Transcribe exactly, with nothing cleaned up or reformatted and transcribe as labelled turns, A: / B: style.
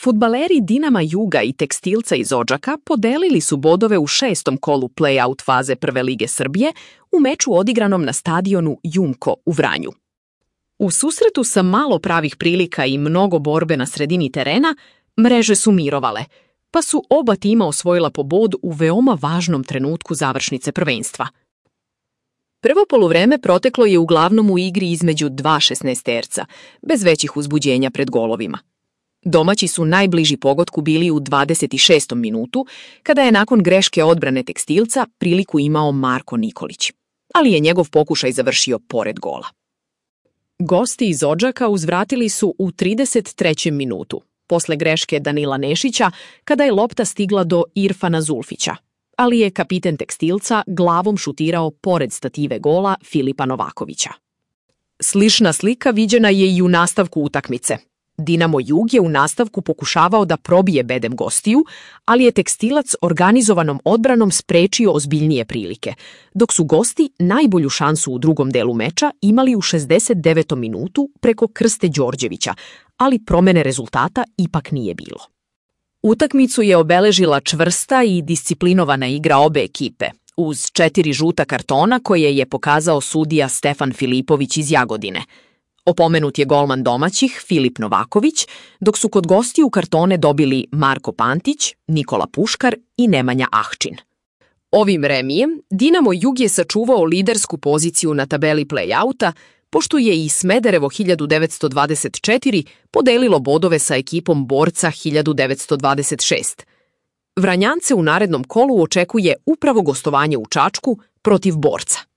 A: Fudbaleri Dinama Juga i Tekstilca iz Odžaka podelili su bodove u šestom kolu play-out faze Prve lige Srbije u meču odigranom na stadionu Jumko u Vranju. U susretu sa malo pravih prilika i mnogo borbe na sredini terena, mreže su mirovale, pa su oba tima osvojila po bod u veoma važnom trenutku završnice prvenstva. Prvo poluvreme proteklo je uglavnom u igri između dva šesnaesterca, bez većih uzbuđenja pred golovima. Domaći su najbliži pogodku bili u dvadeset šestom minutu, kada je nakon greške odbrane Tekstilca priliku imao Marko Nikolić, ali je njegov pokušaj završio pored gola. Gosti iz Odžaka uzvratili su u trideset trećem minutu, posle greške Danila Nešića, kada je lopta stigla do Irfana Zulfića, ali je kapiten Tekstilca glavom šutirao pored stative gola Filipa Novakovića. Slična slika viđena je i u nastavku utakmice. Dinamo Jug je u nastavku pokušavao da probije bedem gostiju, ali je Tekstilac organizovanom odbranom sprečio ozbiljnije prilike, dok su gosti najbolju šansu u drugom delu meča imali u šezdeset devetom minutu preko Krste Đorđevića, ali promene rezultata ipak nije bilo. Utakmicu je obeležila čvrsta i disciplinovana igra obe ekipe, uz četiri žuta kartona koje je pokazao sudija Stefan Filipović iz Jagodine. Opomenut je golman domaćih Filip Novaković, dok su kod gostiju kartone dobili Marko Pantić, Nikola Puškar i Nemanja Ahčin. Ovim remijem Dinamo Jug je sačuvao lidersku poziciju na tabeli play-outa, pošto je i Smederevo hiljadu devetsto dvadeset četiri podelilo bodove sa ekipom Borca hiljadu devetsto dvadeset šest. Vranjance u narednom kolu očekuje upravo gostovanje u Čačku protiv Borca.